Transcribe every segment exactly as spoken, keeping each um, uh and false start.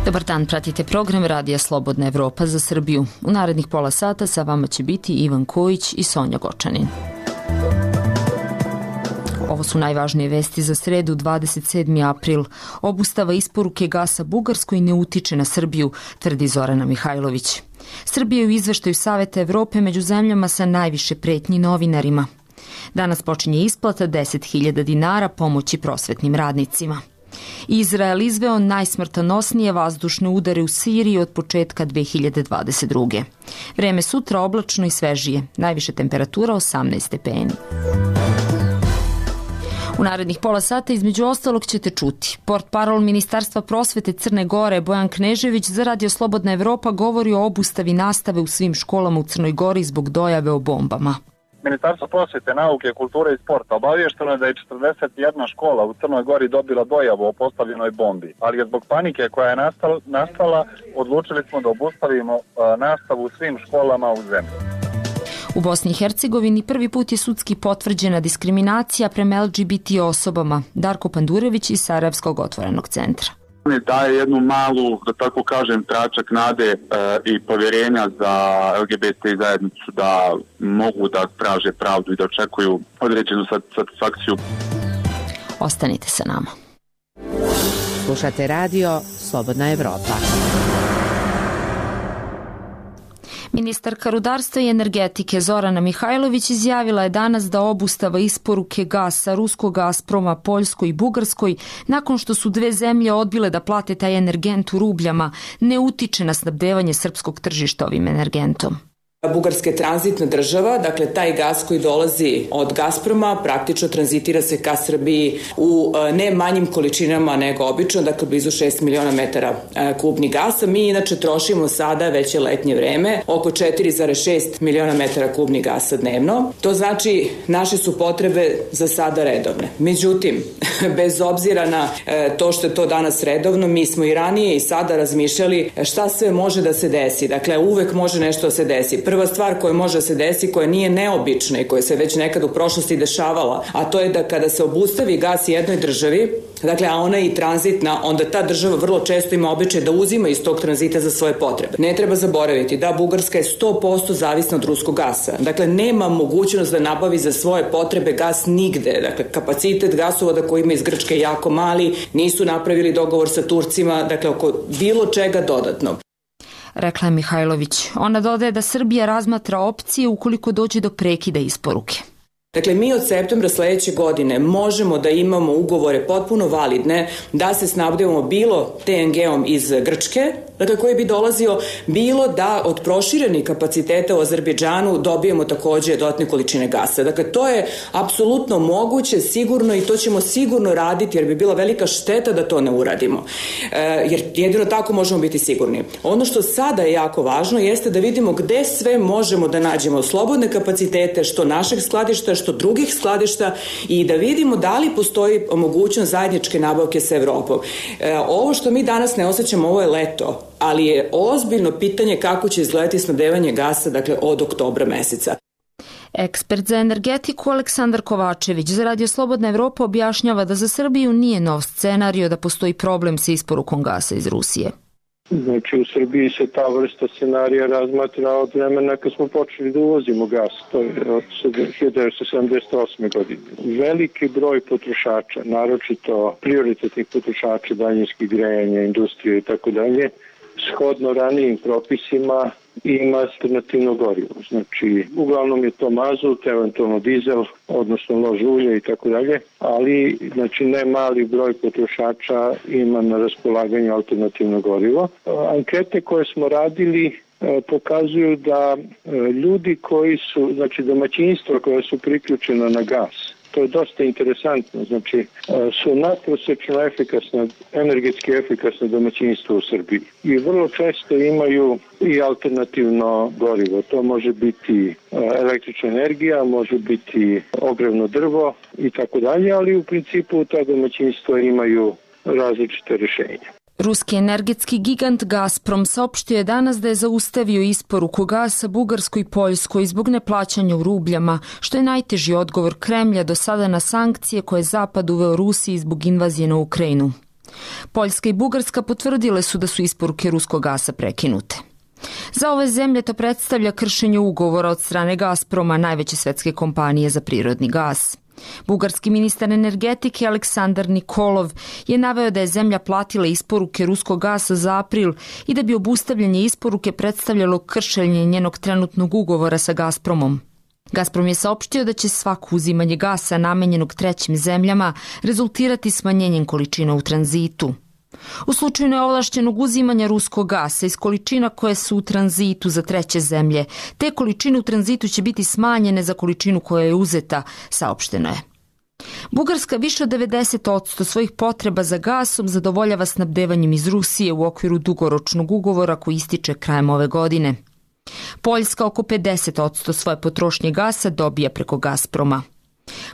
Dobar dan, pratite program Radija Slobodna Evropa za Srbiju. U narednih pola sata sa vama će biti Ivan Kojić i Sonja Gočanin. Ovo su najvažnije vesti za sredu, dvadeset sedmi april. Obustava isporuke gasa Bugarskoj ne utiče na Srbiju, tvrdi Zorana Mihajlović. Srbija je u izveštaju Saveta Evrope među zemljama sa najviše pretnji novinarima. Danas počinje isplata deset hiljada dinara pomoći prosvetnim radnicima. Izrael izveo najsmrtonosnije vazdušne udare u Siriji od početka dve hiljade dvadeset druge. Vreme sutra oblačno i svežije, najviše temperatura osamnaest stepeni. U narednih pola sata između ostalog ćete čuti. Portparol Ministarstva prosvete Crne Gore Bojan Knežević za Radio Slobodna Evropa govori o obustavi nastave u svim školama u Crnoj Gori zbog dojave o bombama. Ministarstvo prosvete, nauke, kulture i sporta obavješteno je da je četrdeset jedna škola u Crnoj Gori dobila dojavu o postavljenoj bombi, ali je zbog panike koja je nastala, nastala odlučili smo da obustavimo uh, nastavu u svim školama u zemlji. U Bosni i Hercegovini prvi put je sudski potvrđena diskriminacija prema L G B T osobama. Darko Pandurević iz Sarajevskog otvorenog centra. Daje jednu malu, da tako kažem, tračak nade e, i povjerenja za L G B T zajednicu da mogu da traže pravdu i da očekuju određenu satisfakciju. Ostanite sa nama. Slušate radio Slobodna Evropa. Ministarka rudarstva i energetike Zorana Mihajlović izjavila je danas da obustava isporuke gasa ruskog Gazproma Poljskoj i Bugarskoj, nakon što su dve zemlje odbile da plate taj energent u rubljama, ne utiče na snabdevanje srpskog tržišta ovim energentom. Bugarska je tranzitna država, dakle taj gas koji dolazi od Gazproma praktično tranzitira se ka Srbiji u ne manjim količinama nego obično, dakle blizu šest miliona metara kubnih gasa. Mi inače trošimo sada, već je letnje vreme, oko četiri zarez šest miliona metara kubnih gasa dnevno. To znači naše su potrebe za sada redovne. Međutim, bez obzira na to što je to danas redovno, mi smo i ranije i sada razmišljali šta sve može da se desi. Dakle, uvek može nešto da se desi. Prva stvar koja može da se desi, koja nije neobična i koja se već nekad u prošlosti dešavala, a to je da kada se obustavi gas jednoj državi, dakle, a ona je i tranzitna, onda ta država vrlo često ima običaj da uzima iz tog tranzita za svoje potrebe. Ne treba zaboraviti da Bugarska je sto posto zavisna od ruskog gasa. Dakle, nema mogućnost da nabavi za svoje potrebe gas nigde. Dakle, kapacitet gasovoda koji ima iz Grčke je jako mali, nisu napravili dogovor sa Turcima, dakle, oko bilo čega dodatno. Rekla je Mihajlović. Ona dodaje da Srbija razmatra opcije ukoliko dođe do prekida isporuke. Dakle, mi od septembra sledeće godine možemo da imamo ugovore potpuno validne da se snabdevamo bilo T N G-om iz Grčke, dakle koji bi dolazio, bilo da od proširenih kapaciteta u Azerbejdžanu dobijemo takođe dodatne količine gasa. Dakle, to je apsolutno moguće, sigurno i to ćemo sigurno raditi jer bi bila velika šteta da to ne uradimo. E, jer jedino tako možemo biti sigurni. Ono što sada je jako važno jeste da vidimo gde sve možemo da nađemo slobodne kapacitete, što našeg skladišta, što drugih skladišta i da vidimo da li postoji mogućnost zajedničke nabavke sa Evropom. E, ovo što mi danas ne osjećamo, ovo je leto, ali je ozbiljno pitanje kako će izgledati snabdevanje gasa, dakle, od oktobra meseca. Ekspert za energetiku Aleksandar Kovačević za Radio Slobodna Evropa objašnjava da za Srbiju nije nov scenario da postoji problem sa isporukom gasa iz Rusije. Znači u Srbiji se ta vrsta scenarija razmatra od vremena kad smo počeli da uvozimo gas, to je od hiljadu devetsto sedamdeset osme godine. Veliki broj potrošača, naročito prioritetnih potrošača, daljinskih grejanja, industrije i tako dalje, shodno ranijim propisima ima alternativno gorivo. Znači, uglavnom je to mazut, eventualno dizel, odnosno lož ulje i tako dalje, ali znači ne mali broj potrošača ima na raspolaganju alternativno gorivo. Ankete koje smo radili pokazuju da ljudi koji su, znači domaćinstva koja su priključena na gas, to je dosta interesantno, znači su nadprosečno efikasna, energetski efikasno domaćinstvo u Srbiji i vrlo često imaju i alternativno gorivo. To može biti električna energija, može biti ogrevno drvo i tako dalje, ali u principu ta domaćinstva imaju različite rješenja. Ruski energetski gigant Gazprom saopštio je danas da je zaustavio isporuku gasa Bugarskoj i Poljskoj zbog neplaćanja u rubljama, što je najteži odgovor Kremlja do sada na sankcije koje je Zapad uveo Rusiji zbog invazije na Ukrajinu. Poljska i Bugarska potvrdile su da su isporuke ruskog gasa prekinute. Za ove zemlje to predstavlja kršenje ugovora od strane Gazproma, najveće svetske kompanije za prirodni gas. Bugarski ministar energetike Aleksandar Nikolov je naveo da je zemlja platila isporuke ruskog gasa za april i da bi obustavljanje isporuke predstavljalo kršenje njenog trenutnog ugovora sa Gazpromom. Gazprom je saopštio da će svako uzimanje gasa namenjenog trećim zemljama rezultirati smanjenjem količina u tranzitu. U slučaju neovlašćenog uzimanja ruskog gasa iz količina koje su u tranzitu za treće zemlje, te količine u tranzitu će biti smanjene za količinu koja je uzeta, saopšteno je. Bugarska više od devedeset posto svojih potreba za gasom zadovoljava snabdevanjem iz Rusije u okviru dugoročnog ugovora koji ističe krajem ove godine. Poljska oko pedeset posto svoje potrošnje gasa dobija preko Gazproma.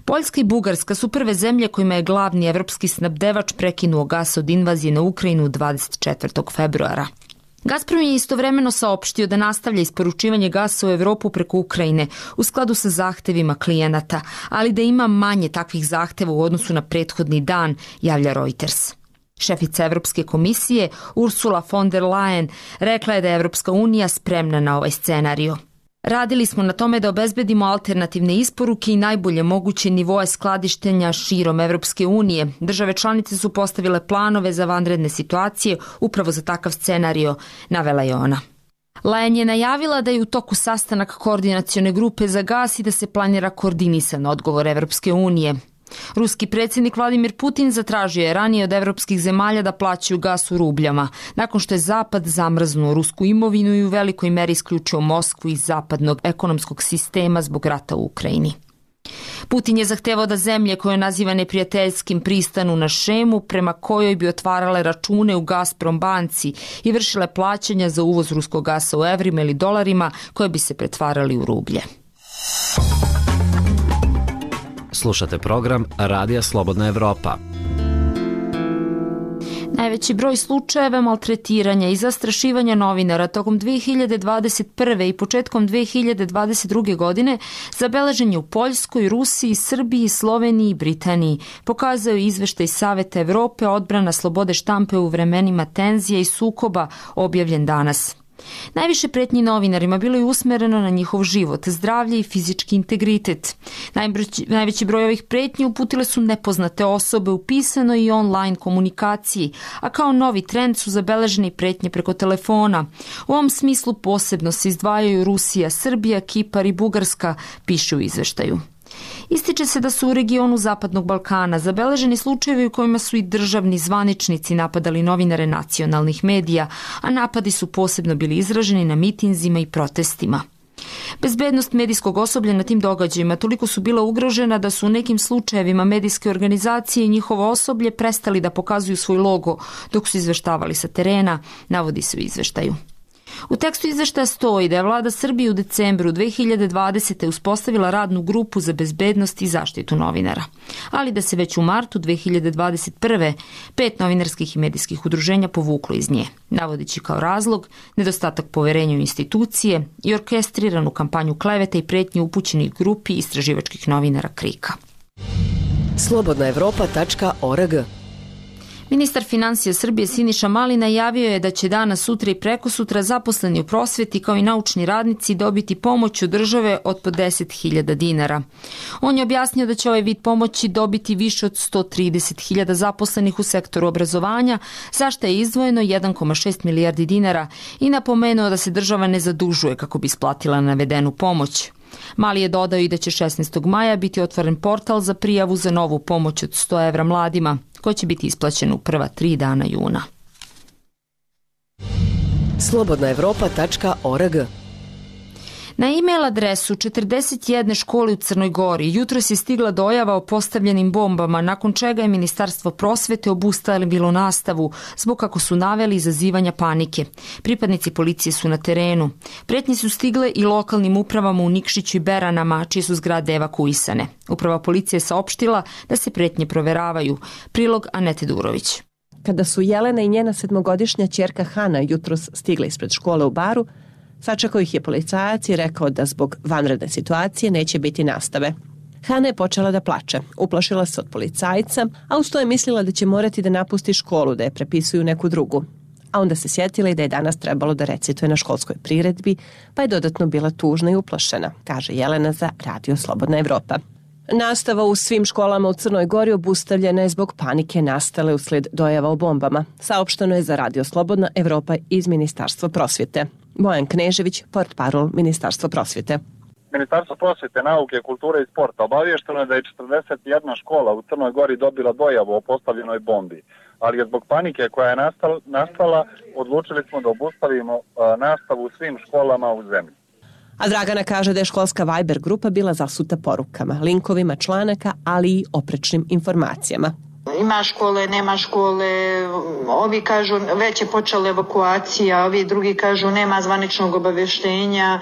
Poljska i Bugarska su prve zemlje kojima je glavni evropski snabdevač prekinuo gas od invazije na Ukrajinu dvadeset četvrtog februara. Gazprom je istovremeno saopštio da nastavlja isporučivanje gasa u Evropu preko Ukrajine u skladu sa zahtevima klijenata, ali da ima manje takvih zahteva u odnosu na prethodni dan, javlja Reuters. Šefica Evropske komisije Ursula von der Leyen rekla je da je Evropska unija spremna na ovaj scenario. Radili smo na tome da obezbedimo alternativne isporuke i najbolje moguće nivoe skladištenja širom Evropske unije. Države članice su postavile planove za vanredne situacije upravo za takav scenario, navela je ona. Leyen je najavila da je u toku sastanak koordinacione grupe za gas i da se planira koordinisan odgovor Evropske unije. Ruski predsjednik Vladimir Putin zatražio je ranije od evropskih zemalja da plaćaju gas u rubljama, nakon što je Zapad zamrznuo rusku imovinu i u velikoj meri isključio Moskvu iz zapadnog ekonomskog sistema zbog rata u Ukrajini. Putin je zahtevao da zemlje koje naziva neprijateljskim pristanu na šemu prema kojoj bi otvarale račune u Gazprom banci i vršile plaćanja za uvoz ruskog gasa u evrima ili dolarima koje bi se pretvarali u rublje. Slušate program Radija Slobodna Evropa. Najveći broj slučajeva maltretiranja i zastrašivanja novinara tokom dve hiljade dvadeset prve i početkom dve hiljade dvadeset druge godine zabeležen je u Poljskoj, Rusiji, Srbiji, Sloveniji i Britaniji, pokazao je izveštaj Saveta Evrope odbrana slobode štampe u vremenima tenzija i sukoba objavljen danas. Najviše pretnji novinarima bilo je usmereno na njihov život, zdravlje i fizički integritet. Najveći broj ovih pretnji uputile su nepoznate osobe u pisanoj i online komunikaciji, a kao novi trend su zabeležene pretnje preko telefona. U ovom smislu posebno se izdvajaju Rusija, Srbija, Kipar i Bugarska, piše u izveštaju. Ističe se da su u regionu Zapadnog Balkana zabeleženi slučajevi u kojima su i državni zvaničnici napadali novinare nacionalnih medija, a napadi su posebno bili izraženi na mitinzima i protestima. Bezbednost medijskog osoblja na tim događajima toliko su bila ugrožena da su u nekim slučajevima medijske organizacije i njihovo osoblje prestali da pokazuju svoj logo dok su izveštavali sa terena, navodi se u izveštaju. U tekstu izveštaja stoji da je vlada Srbije u decembru dve hiljade dvadesete. uspostavila radnu grupu za bezbednost i zaštitu novinara, ali da se već u martu dve hiljade dvadeset prve. pet novinarskih i medijskih udruženja povuklo iz nje, navodeći kao razlog nedostatak poverenja u institucije i orkestriranu kampanju kleveta i pretnje upućenih grupi istraživačkih novinara Krika. slobodna evropa tačka org. Ministar finansija Srbije Siniša Mali najavio je da će danas, sutra i prekosutra zaposleni u prosveti kao i naučni radnici dobiti pomoć od države od po deset hiljada dinara. On je objasnio da će ovaj vid pomoći dobiti više od sto trideset hiljada zaposlenih u sektoru obrazovanja, za što je izdvojeno jedan zarez šest milijardi dinara i napomenuo da se država ne zadužuje kako bi isplatila navedenu pomoć. Mali je dodao i da će šesnaestog maja biti otvoren portal za prijavu za novu pomoć od sto evra mladima, koja će biti isplaćena u prva tri dana juna. slobodna evropa tačka org. Na e-mail adresu četrdeset jedne škole u Crnoj Gori jutros je stigla dojava o postavljenim bombama, nakon čega je Ministarstvo prosvete obustavilo nastavu zbog, kako su naveli, izazivanja panike. Pripadnici policije su na terenu. Pretnje su stigle i lokalnim upravama u Nikšiću i Beranama, čije su zgrade evakuisane. Uprava policije je saopštila da se pretnje proveravaju. Prilog Anete Durović. Kada su Jelena i njena sedmogodišnja ćerka Hana jutros stigle ispred škole u Baru, sačekao ih je policajac i rekao da zbog vanredne situacije neće biti nastave. Hana je počela da plače, uplašila se od policajca, a uz to je mislila da će morati da napusti školu, da je prepisuju neku drugu. A onda se sjetila i da je danas trebalo da recituje na školskoj priredbi, pa je dodatno bila tužna i uplašena, kaže Jelena za Radio Slobodna Evropa. Nastava u svim školama u Crnoj Gori obustavljena je zbog panike nastale usled dojava o bombama. Saopšteno je za Radio Slobodna Evropa iz Ministarstva prosvjete. Bojan Knežević, portparol Ministarstva prosvjete. Ministarstvo prosvjete, nauke, kulture i sporta obavješteno je da je četrdeset jedna škola u Crnoj Gori dobila dojavu o postavljenoj bombi, ali je zbog panike koja je nastala odlučili smo da obustavimo nastavu u svim školama u zemlji. A Dragana kaže da je školska Viber grupa bila zasuta porukama, linkovima članaka, ali i oprečnim informacijama. Ima škole, nema škole, ovi kažu već je počela evakuacija, ovi drugi kažu nema zvaničnog obavještenja,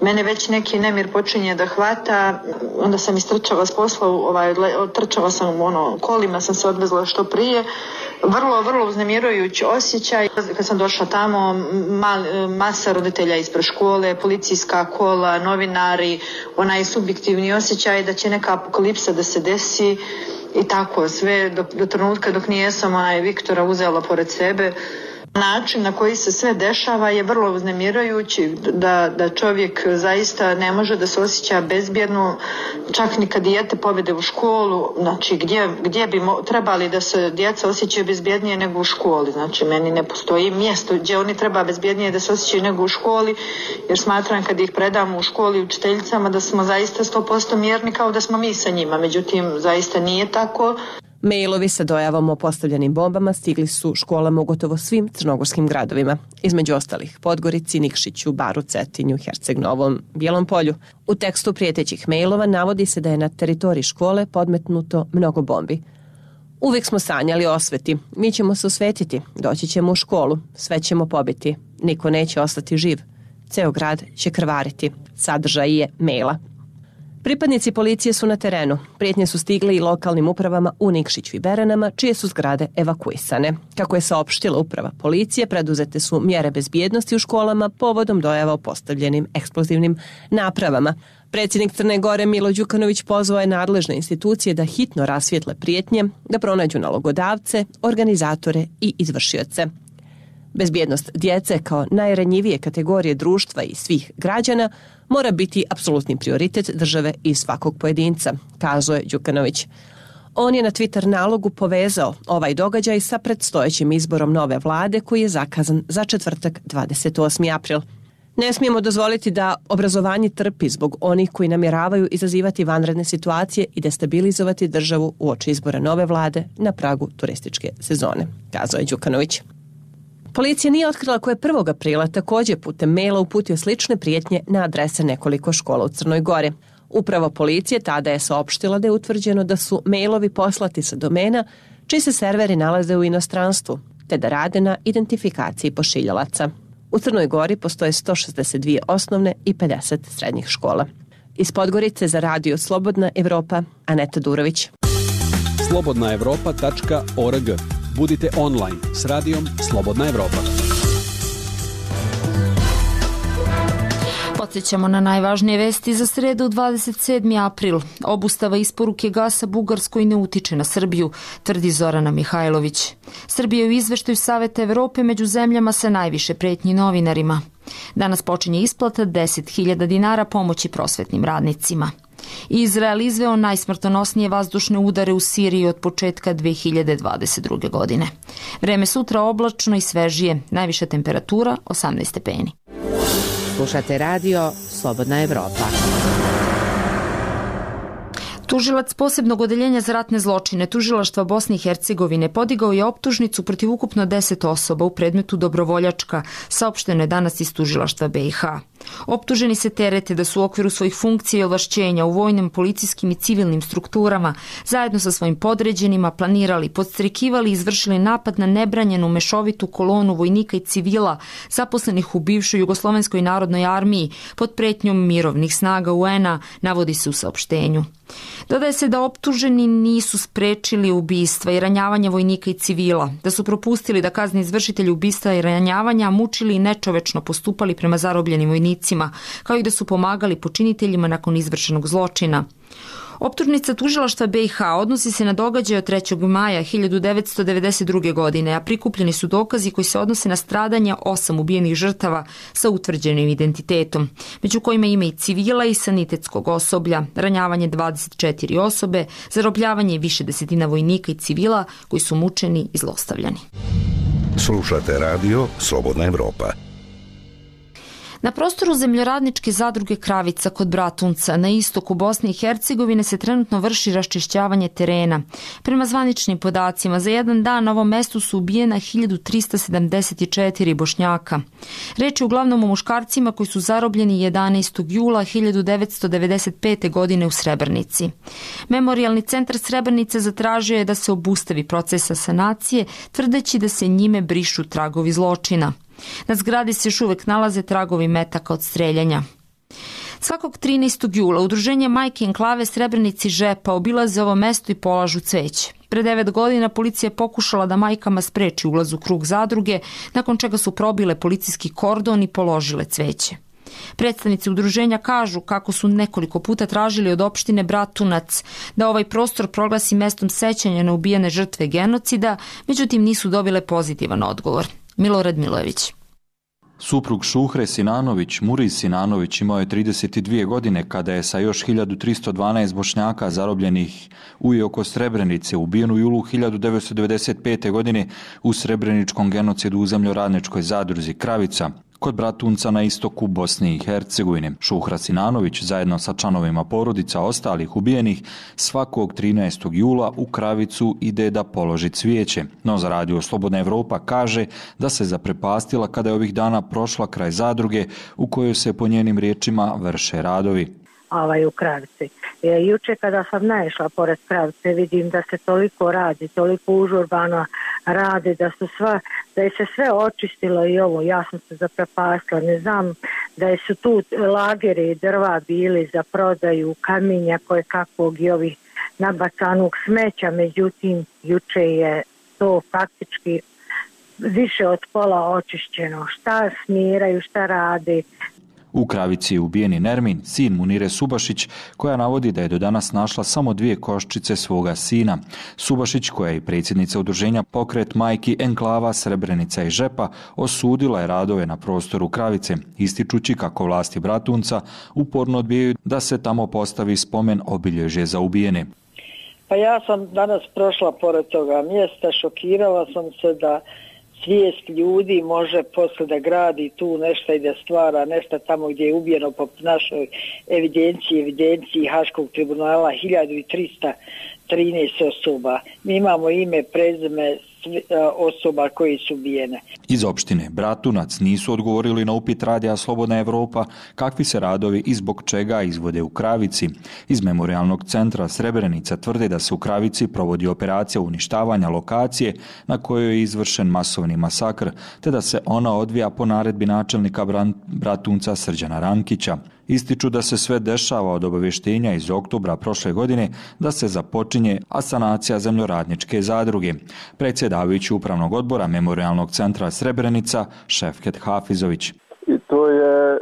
mene već neki nemir počinje da hvata, onda sam istrčala s posla, ovaj, trčala sam ono, kolima, sam se odvezla što prije. Vrlo, vrlo uznemirujući osjećaj. Kad sam došla tamo, mal, masa roditelja ispred škole, policijska kola, novinari, onaj subjektivni osjećaj da će neka apokalipsa da se desi i tako sve do, do trenutka dok nijesam onaj Viktora uzela pored sebe. Način na koji se sve dešava je vrlo uznemirajući, da, da čovjek zaista ne može da se osjeća bezbjedno, čak ni kad dijete povede u školu, znači gdje, gdje bi mo, trebali da se djeca osjećaju bezbjednije nego u školi, znači meni ne postoji mjesto gdje oni treba bezbjednije da se osjećaju nego u školi, jer smatram kad ih predamo u školi učiteljicama da smo zaista sto posto mirni kao da smo mi sa njima, međutim zaista nije tako. Mailovi sa dojavom o postavljenim bombama stigli su školama u gotovo svim crnogorskim gradovima, između ostalih Podgorici, Nikšiću, Baru, Cetinju, Herceg Novom, Bijelom Polju. U tekstu prijetećih mailova navodi se da je na teritoriji škole podmetnuto mnogo bombi. Uvijek smo sanjali o osveti, mi ćemo se osvetiti, doći ćemo u školu, sve ćemo pobiti, niko neće ostati živ, ceo grad će krvariti, sadržaj je maila. Pripadnici policije su na terenu. Prijetnje su stigle i lokalnim upravama u Nikšiću i Beranama, čije su zgrade evakuisane. Kako je saopštila uprava policije, preduzete su mjere bezbjednosti u školama povodom dojava o postavljenim eksplozivnim napravama. Predsjednik Crne Gore Milo Đukanović pozvao je nadležne institucije da hitno rasvijetle prijetnje, da pronađu nalogodavce, organizatore i izvršioce. Bezbjednost djece kao najranjivije kategorije društva i svih građana mora biti apsolutni prioritet države i svakog pojedinca, kazuje Đukanović. On je na Twitter nalogu povezao ovaj događaj sa predstojećim izborom nove vlade koji je zakazan za četvrtak dvadeset osmi april. Ne smijemo dozvoliti da obrazovanje trpi zbog onih koji namjeravaju izazivati vanredne situacije i destabilizovati državu uoči izbora nove vlade na pragu turističke sezone, kazuje Đukanović. Policija nije otkrila ko je prvog aprila također putem maila uputio slične prijetnje na adrese nekoliko škola u Crnoj Gori. Uprava policije tada je saopštila da je utvrđeno da su mailovi poslati sa domena čiji se serveri nalaze u inostranstvu, te da rade na identifikaciji pošiljalaca. U Crnoj Gori postoje sto šezdeset dvije osnovne i pedeset srednjih škola. Iz Podgorice za Radio Slobodna Evropa, Aneta Durović. slobodna evropa tačka org. Budite online s radijom Slobodna Evropa. Podsjećamo na najvažnije vesti za sredu dvadeset sedmi april. Obustava isporuke gasa Bugarskoj ne utiče na Srbiju, tvrdi Zorana Mihajlović. Srbija je u izveštaju Saveta Evrope među zemljama sa najviše pretnji novinarima. Danas počinje isplata deset hiljada dinara pomoći prosvetnim radnicima. Izrael izveo najsmrtonosnije vazdušne udare u Siriji od početka dve hiljade dvadeset druge. godine. Vreme sutra oblačno i svežije, najviša temperatura osamnaest stepeni. Slušate radio Slobodna Evropa. Tužilac posebnog odeljenja za ratne zločine Tužilaštva Bosne i Hercegovine podigao je optužnicu protiv ukupno deset osoba u predmetu Dobrovoljačka, saopšteno je danas iz Tužilaštva B i H. Optuženi se terete da su u okviru svojih funkcija i ovlašćenja u vojnim, policijskim i civilnim strukturama zajedno sa svojim podređenima planirali, podstrekivali i izvršili napad na nebranjenu mešovitu kolonu vojnika i civila zaposlenih u bivšoj Jugoslovenskoj narodnoj armiji pod pretnjom mirovnih snaga U N-a, navodi se u saopštenju. Dodaje se da optuženi nisu sprečili ubistva i ranjavanja vojnika i civila, da su propustili da kazni izvršitelji ubistva i ranjavanja, mučili i nečovečno postupali prema zarobljenim vojnicima, kao i da su pomagali počiniteljima nakon izvršenog zločina. Optužnica tužilaštva B i H odnosi se na događaj od trećeg maja hiljadu devetsto devedeset druge. godine, a prikupljeni su dokazi koji se odnose na stradanja osam ubijenih žrtava sa utvrđenim identitetom, među kojima ima i civila i sanitetskog osoblja, ranjavanje dvadeset četiri osobe, zarobljavanje više desetina vojnika i civila koji su mučeni i zlostavljani. Slušate radio Slobodna Evropa. Na prostoru zemljoradničke zadruge Kravica kod Bratunca na istoku Bosne i Hercegovine se trenutno vrši raščišćavanje terena. Prema zvaničnim podacima, za jedan dan na ovom mestu su ubijena hiljadu trista sedamdeset četiri Bošnjaka. Reč je uglavnom o muškarcima koji su zarobljeni jedanaestog jula hiljadu devetsto devedeset pete. godine u Srebrenici. Memorijalni centar Srebrenice zatražio je da se obustavi procesa sanacije, tvrdeći da se njime brišu tragovi zločina. Na zgradi se još uvek nalaze tragovi metaka od streljanja. Svakog trinaestog jula udruženje Majke Enklave Srebrenici Žepa obilaze ovo mesto i polažu cveće. Pre devet godina policija je pokušala da majkama spreči ulaz u krug zadruge, nakon čega su probile policijski kordon i položile cveće. Predstavnici udruženja kažu kako su nekoliko puta tražili od opštine Bratunac da ovaj prostor proglasi mestom sećanja na ubijene žrtve genocida, međutim nisu dobile pozitivan odgovor. Milorad Milojević. Suprug Šuhre Sinanović, Muriz Sinanović, imao je trideset dvije godine kada je sa još hiljadu tristo dvanaest Bošnjaka zarobljenih u i oko Srebrenice ubijen u julu hiljadu devetsto devedeset pete. godine u srebreničkom genocidu u zemljoradničkoj zadruzi Kravica kod Bratunca na istoku Bosne i Hercegovine. Šuhra Sinanović zajedno sa članovima porodica ostalih ubijenih svakog trinaestog jula u Kravicu ide da položi cvijeće. No za radio Slobodna Evropa kaže da se zaprepastila kada je ovih dana prošla kraj zadruge u kojoj se po njenim riječima vrše radovi. Ovaj u Kravici. E, juče kada sam naišla pored Kravice vidim da se toliko radi, toliko užurbano radi, da su sva, da je se sve očistilo i ovo, ja sam se zaprepastila, ne znam da su tu lageri drva bili za prodaju, kamenja koje kakvog i ovih nabacanog smeća, međutim juče je to faktički više od pola očišćeno. Šta smiraju, šta radi. U Kravici je ubijeni Nermin, sin Munire Subašić, koja navodi da je do danas našla samo dvije koščice svoga sina. Subašić, koja je i predsjednica udruženja Pokret majki Enklava Srebrenica i Žepa, osudila je radove na prostoru Kravice, ističući kako vlasti Bratunca uporno odbijaju da se tamo postavi spomen obilježje za ubijene. Pa ja sam danas prošla pored toga mjesta, šokirala sam se da svijest ljudi može posle da gradi tu nešto i da stvara nešto tamo gdje je ubijeno po našoj evidenciji, evidenciji Haškog tribunala hiljadu trista trinaest osoba. Mi imamo ime, prezime osoba koji su ubijene. Iz opštine Bratunac nisu odgovorili na upit radija Slobodna Evropa kakvi se radovi i zbog čega izvode u Kravici. Iz Memorijalnog centra Srebrenica tvrde da se u Kravici provodi operacija uništavanja lokacije na kojoj je izvršen masovni masakr, te da se ona odvija po naredbi načelnika Bratunca Srđana Rankića. Ističu da se sve dešava od obavještenja iz oktobra prošle godine da se započinje asanacija zemljoradničke zadruge. Predsjedavajući upravnog odbora Memorijalnog centra Srebrenica, Šefket Hafizović. I to je e,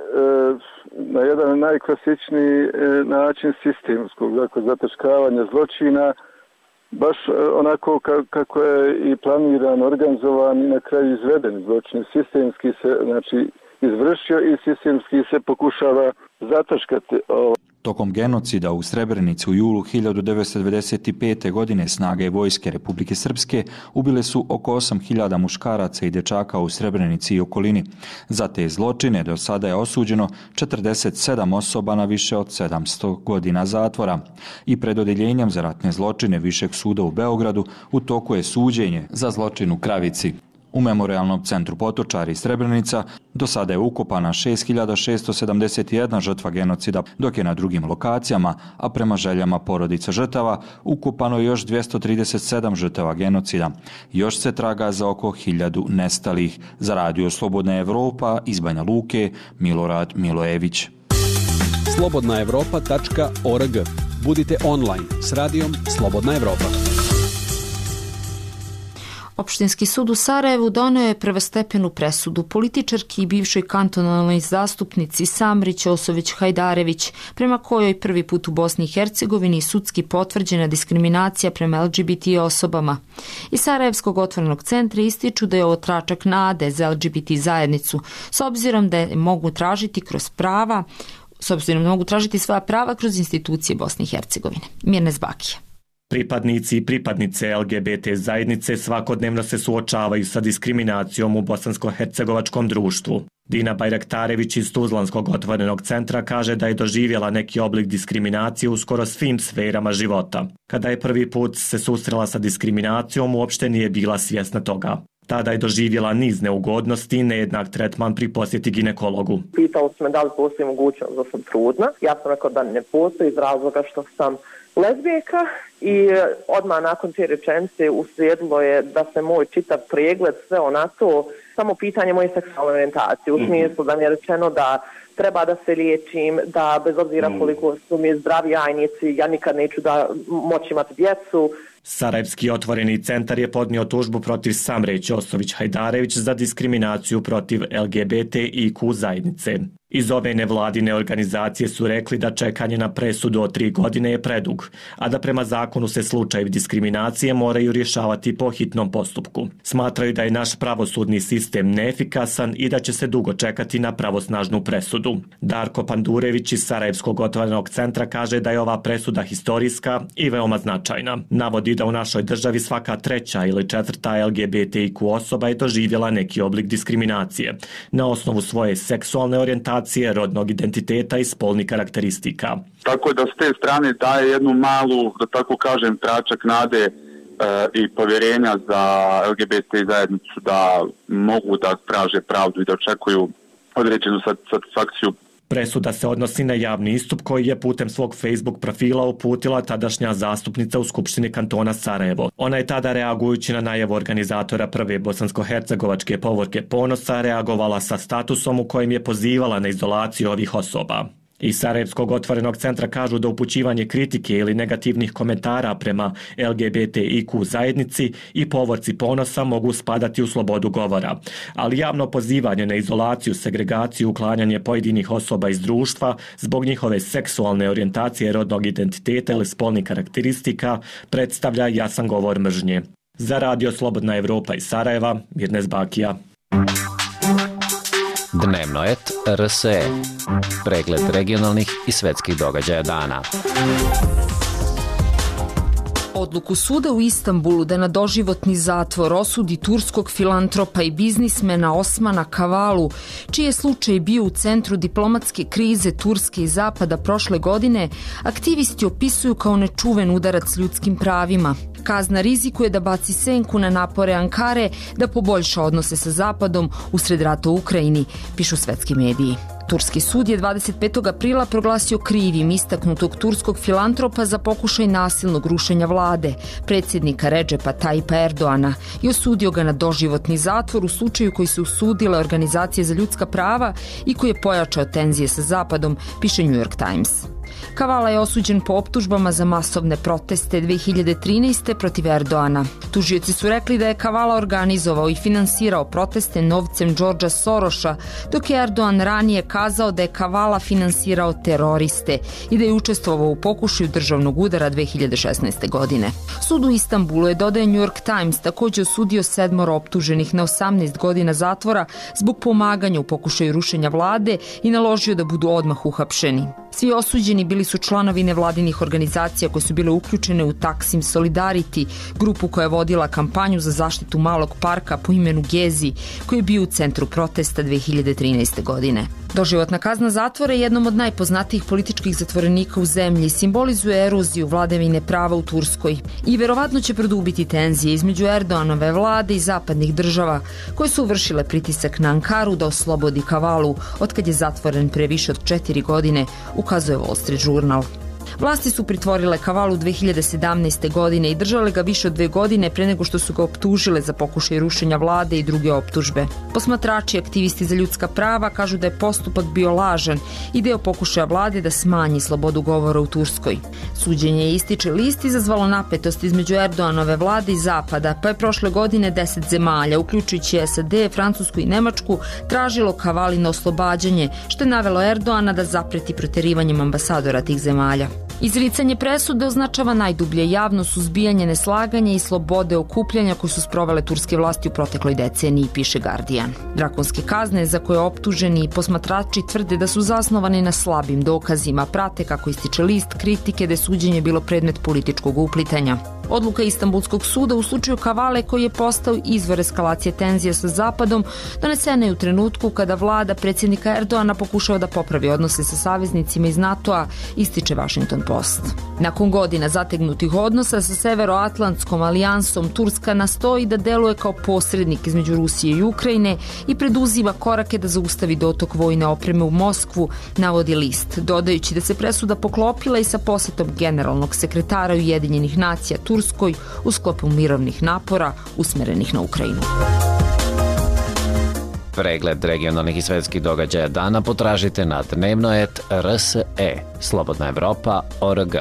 na jedan najklasičniji e, način sistemskog, dakle, zataškavanja zločina, baš e, onako ka, kako je i planiran, organizovan i na kraju izveden zločin. Sistemski se, znači, izvršio i sistemski se pokušava zataškati. Tokom genocida u Srebrenici u julu hiljadu devetsto devedeset pete. godine snage vojske Republike Srpske ubile su oko osam hiljada muškaraca i dječaka u Srebrenici i okolini. Za te zločine do sada je osuđeno četrdeset sedam osoba na više od sedamsto godina zatvora. I pred odjeljenjem za ratne zločine Višeg suda u Beogradu u toku je suđenje za zločin u Kravici. U Memorijalnom centru Potočari Srebrenica do sada je ukopana šest hiljada šesto sedamdeset jedna žrtva genocida, dok je na drugim lokacijama, a prema željama porodica žrtava, ukopano još dvjesto trideset sedam žrtava genocida. Još se traga za oko hiljadu nestalih. Za radio Slobodna Evropa iz Banja Luke, Milorad Milojević. slobodna evropa tačka org. Budite online s radijom Slobodna Evropa. Opštinski sud u Sarajevu doneo je prvostepenu presudu političarki i bivšoj kantonalnoj zastupnici Samri Ćosović Hajdarević, prema kojoj prvi put u Bosni i Hercegovini sudski potvrđena diskriminacija prema L G B T osobama. Iz Sarajevskog otvorenog centra ističu da je ovo tračak nade za L G B T zajednicu, s obzirom da je mogu tražiti kroz prava, s obzirom da mogu tražiti svoja prava kroz institucije Bosne i Hercegovine. Mirnes Bakija. Pripadnici i pripadnice L G B T zajednice svakodnevno se suočavaju sa diskriminacijom u bosansko-hercegovačkom društvu. Dina Bajraktarević iz Tuzlanskog otvorenog centra kaže da je doživjela neki oblik diskriminacije u skoro svim sferama života. Kada je prvi put se susrela sa diskriminacijom, uopšte nije bila svjesna toga. Tada je doživjela niz neugodnosti i nejednak tretman pri posjeti ginekologu. Pitao sam me da li postoji mogućnost da sam trudna. Ja sam rekao da ne postoji iz razloga što sam lezbijka i odmah nakon te rečenice uslijedilo je da se moj čitav pregled sve onako, samo pitanje moje seksualne orijentacije. U smislu da mi je rečeno da treba da se liječim, da bez obzira koliko su mi zdravi jajnici, ja nikad neću da moći imati djecu. Sarajevski otvoreni centar je podnio tužbu protiv Samre Ćosović Hajdarević za diskriminaciju protiv L G B T I Q zajednice. Iz ove nevladine organizacije su rekli da čekanje na presudu od tri godine je predug, a da prema zakonu se slučajevi diskriminacije moraju rješavati po hitnom postupku. Smatraju da je naš pravosudni sistem neefikasan i da će se dugo čekati na pravosnažnu presudu. Darko Pandurević iz Sarajevskog otvorenog centra kaže da je ova presuda historijska i veoma značajna. Navodi da u našoj državi svaka treća ili četvrta L G B T I Q osoba je doživjela neki oblik diskriminacije na osnovu svoje seksualne orijentacije, rodnog identiteta i spolnih karakteristika. Tako da s te strane daje jednu malu, da tako kažem, tračak nade e, i povjerenja za L G B T zajednicu da mogu da traže pravdu i da očekuju određenu satisfakciju. Presuda se odnosi na javni istup koji je putem svog Facebook profila uputila tadašnja zastupnica u Skupštini kantona Sarajevo. Ona je tada, reagujući na najavu organizatora prve bosansko-hercegovačke povorke Ponosa, reagovala sa statusom u kojem je pozivala na izolaciju ovih osoba. Iz Sarajevskog otvorenog centra kažu da upućivanje kritike ili negativnih komentara prema L G B T I Q zajednici i povorci Ponosa mogu spadati u slobodu govora, ali javno pozivanje na izolaciju, segregaciju, uklanjanje pojedinih osoba iz društva zbog njihove seksualne orijentacije, rodnog identiteta ili spolnih karakteristika predstavlja jasan govor mržnje. Za Radio Slobodna Evropa iz Sarajeva, Mirnes Bakija. Dnevnoet R S E. Pregled regionalnih i svetskih događaja dana. Odluku suda u Istanbulu da na doživotni zatvor osudi turskog filantropa i biznismena Osmana Kavalu, čiji je slučaj bio u centru diplomatske krize Turske i Zapada prošle godine, aktivisti opisuju kao nečuven udarac ljudskim pravima. Kazna rizikuje da baci senku na napore Ankare da poboljša odnose sa Zapadom usred rata u Ukrajini, pišu svetski mediji. Turski sud je dvadeset petog aprila proglasio krivim istaknutog turskog filantropa za pokušaj nasilnog rušenja vlade, predsjednika Redžepa Tajipa Erdoana, i osudio ga na doživotni zatvor u slučaju koji su usudile organizacije za ljudska prava i koji je pojačao tenzije sa Zapadom, piše New York Times. Kavala je osuđen po optužbama za masovne proteste dve hiljade trinaeste. protiv Erdoana. Tužioci su rekli da je Kavala organizovao i finansirao proteste novcem Đorđa Soroša, dok je Erdoan ranije kazao da je Kavala finansirao teroriste i da je učestvovao u pokušaju državnog udara dve hiljade šesnaeste. godine. Sud u Istanbulu je, dodaje New York Times, također osudio sedmoro optuženih na osamnaest godina zatvora zbog pomaganja u pokušaju rušenja vlade i naložio da budu odmah uhapšeni. Svi osuđeni bili su članovi nevladinih organizacija koje su bile uključene u Taksim Solidarity, grupu koja je vodila kampanju za zaštitu malog parka po imenu Gezi, koji je bio u centru protesta dve hiljade trinaeste. godine. Doživotna kazna zatvora je jednom od najpoznatijih političkih zatvorenika u zemlji, simbolizuje eroziju vladavine prava u Turskoj i verovatno će produbiti tenzije između Erdoanove vlade i zapadnih država koje su vršile pritisak na Ankaru da oslobodi Kavalu, otkad je zatvoren pre više od četiri godine, ukazuje Wall Street Journal. Vlasti su pritvorile Kavalu dve hiljade sedamnaeste. godine i držale ga više od dve godine pre nego što su ga optužile za pokušaj rušenja vlade i druge optužbe. Posmatrači i aktivisti za ljudska prava kažu da je postupak bio lažan i deo pokušaja vlade da smanji slobodu govora u Turskoj. Suđenje ističe list izazvalo napetost između Erdoganove vlade i Zapada, pa je prošle godine deset zemalja, uključujući S A D, Francusku i Nemačku, tražilo Kavalino oslobađanje, što je navelo Erdogana da zapreti proterivanjem ambasadora tih zemalja. Izricanje presude označava najdublje javno suzbijanje neslaganja i slobode okupljanja koje su sprovele turske vlasti u protekloj deceniji, piše Guardian. Drakonske kazne za koje optuženi i posmatrači tvrde da su zasnovane na slabim dokazima, prate, kako ističe list, kritike da je suđenje bilo predmet političkog uplitanja. Odluka Istanbulskog suda u slučaju Kavale, koji je postao izvor eskalacije tenzija sa Zapadom, donesena je u trenutku kada vlada predsjednika Erdogana pokušava da popravi odnose sa saveznicima iz NATO-a, ističe Washington Post. Nakon godina zategnutih odnosa sa Severoatlantskom alijansom, Turska nastoji da deluje kao posrednik između Rusije i Ukrajine i preduzima korake da zaustavi dotok vojne opreme u Moskvu, navodi list, dodajući da se presuda poklopila i sa posetom generalnog sekretara Ujedinjenih nacija Turskoj u sklopu mirovnih napora usmerenih na Ukrajinu. Pregled regionalnih i svetskih događaja dana potražite na dnevnoet R S E, Slobodna Evropa, O R G.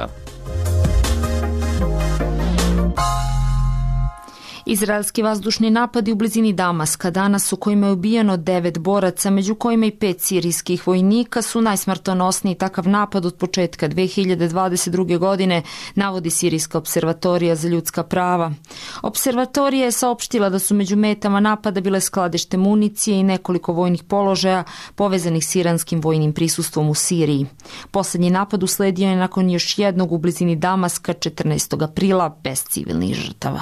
Izraelski vazdušni napadi u blizini Damaska danas u kojima je ubijeno devet boraca, među kojima i pet sirijskih vojnika, su najsmrtonosniji takav napad od početka dve hiljade dvadeset druge. godine, navodi Sirijska observatorija za ljudska prava. Observatorija je saopštila da su među metama napada bile skladište municije i nekoliko vojnih položaja povezanih s iranskim vojnim prisustvom u Siriji. Poslednji napad usledio je nakon još jednog u blizini Damaska četrnaestog aprila bez civilnih žrtava.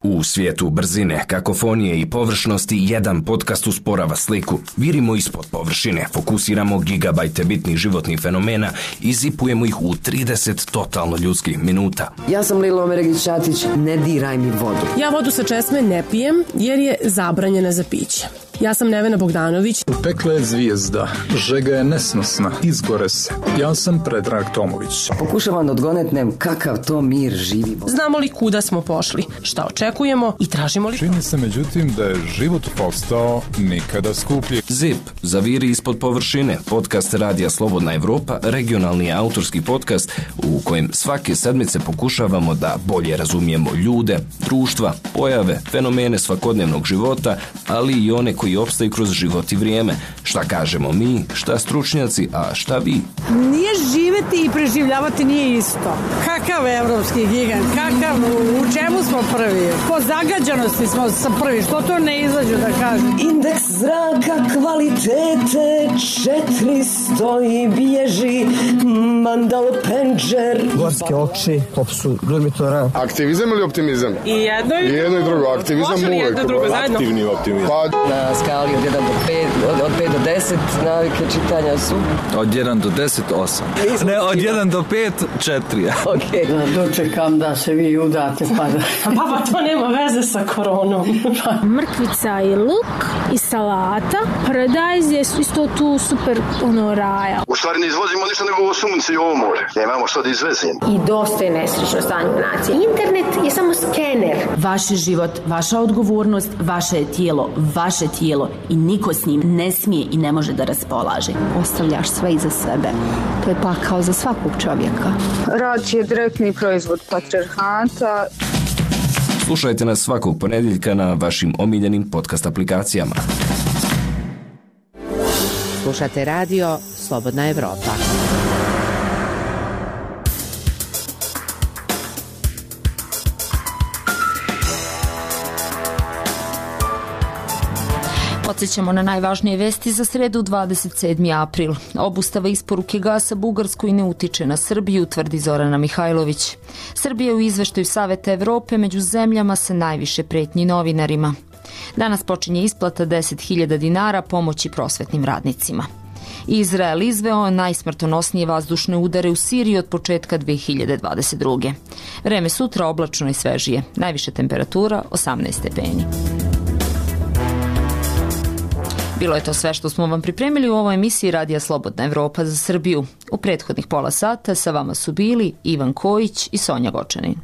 U svijetu brzine, kakofonije i površnosti jedan podcast usporava sliku. Virimo ispod površine, fokusiramo gigabajte bitnih životnih fenomena i zipujemo ih u trideset totalno ljudskih minuta. Ja sam Lilo Omeregić-Ćatić, ne diraj mi vodu. Ja vodu sa česme ne pijem jer je zabranjena za piće. Ja sam Nevena Bogdanović. Pekla je zvijezda, žega je nesnosna, izgore se. Ja sam Predrag Tomović. Pokušavam da odgonetnem kakav to mir živimo. Znamo li kuda smo pošli, šta očekujemo i tražimo li... Čini se međutim da je život postao nikada skuplji. Zip, zaviri ispod površine, podcast Radija Slobodna Evropa, regionalni autorski podcast u kojem svake sedmice pokušavamo da bolje razumijemo ljude, društva, pojave, fenomene svakodnevnog života, ali i one koji opstaju kroz život i vrijeme. Šta kažemo mi, šta stručnjaci, a šta vi? Nije živeti i preživljavati nije isto. Kakav evropski gigant, kakav, u čemu smo prvi? Po zagađanosti smo sa prvi, što to ne izađu da kažem? Indeks zraka kvalitete četiristo i bježi Mandal Penđer. Gorske oči, popsu Glurmitora. Aktivizam ili optimizam? I jedno i, I jedno i drugo. Aktivizam može li jedno drugo zajedno? Aktivni optimizam. Pa... Na skali od jedan do pet, od, od pet do deset, navike čitanja su... Od jedan do deset, osam. Ne, od jedan do pet, četiri. Okej. Okay. Dočekam da se vi udate, pa da... Baba, to nema veze sa koronom. Mrkvica i luk i salata. Paradajz je isto tu super, ono, raja. U stvari ne izvozimo ništa nego ovo sunce i ovo more. Nemamo što da izvezimo. I dosta je nesrećno stanje u naciji. Internet je samo skener. Vaš život, vaša odgovornost, vaše je tijelo, vaše tijelo i niko s njim ne smije i ne može da raspolaže. Ostavljaš sve iza sebe. To je pakao za svakog čovjeka. Rad je direktni proizvod patrijarhata. Slušajte nas svakog ponedjeljka na vašim omiljenim podcast aplikacijama. Slušate radio Slobodna Evropa. Podsjećamo na najvažnije vesti za sredu dvadeset sedmi april. Obustava isporuke gasa Bugarskoj ne utiče na Srbiju, tvrdi Zorana Mihajlović. Srbija u izveštaju Saveta Evrope među zemljama sa najviše pretnji novinarima. Danas počinje isplata deset hiljada dinara pomoći prosvetnim radnicima. Izrael izveo najsmrtonosnije vazdušne udare u Siriji od početka dve hiljade dvadeset druge. Vreme sutra oblačno i svežije. Najviša temperatura osamnaest stepeni. Bilo je to sve što smo vam pripremili u ovoj emisiji Radija Slobodna Evropa za Srbiju. U prethodnih pola sata sa vama su bili Ivan Kojić i Sonja Gočanin.